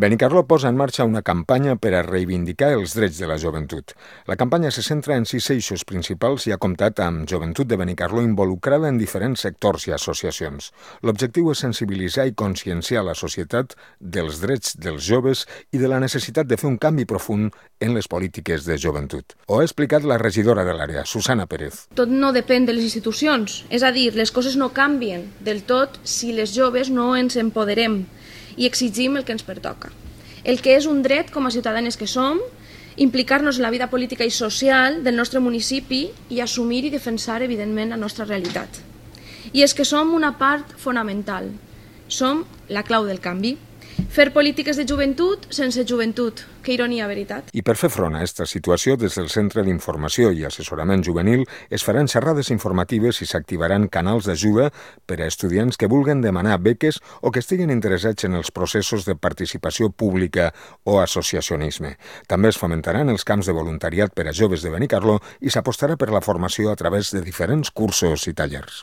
Benicarló posa en marxa una campanya per a reivindicar els drets de la joventut. La campanya se centra en 6 eixos principals i ha comptat amb joventut de Benicarló involucrada en diferents sectors i associacions. L'objectiu és sensibilitzar i conscienciar la societat dels drets dels joves i de la necessitat de fer un canvi profund en les polítiques de joventut. Ho ha explicat la regidora de l'àrea, Susana Pérez. Tot no depèn de les institucions, és a dir, les coses no canvien del tot si les joves no ens empoderem i exigim el que ens pertoca. El que és un dret com a ciutadanes que som, implicar-nos en la vida política i social del nostre municipi i assumir i defensar, evidentment, la nostra realitat. I és que som una part fonamental, som la clau del canvi. Fer polítiques de joventut sense joventut. Que ironia, veritat? I per fer front a aquesta situació, des del Centre d'Informació i Assessorament Juvenil es faran xerrades informatives i s'activaran canals d'ajuda per a estudiants que vulguen demanar beques o que estiguin interessats en els processos de participació pública o associacionisme. També es fomentaran els camps de voluntariat per a joves de Benicarló i s'apostarà per la formació a través de diferents cursos i tallers.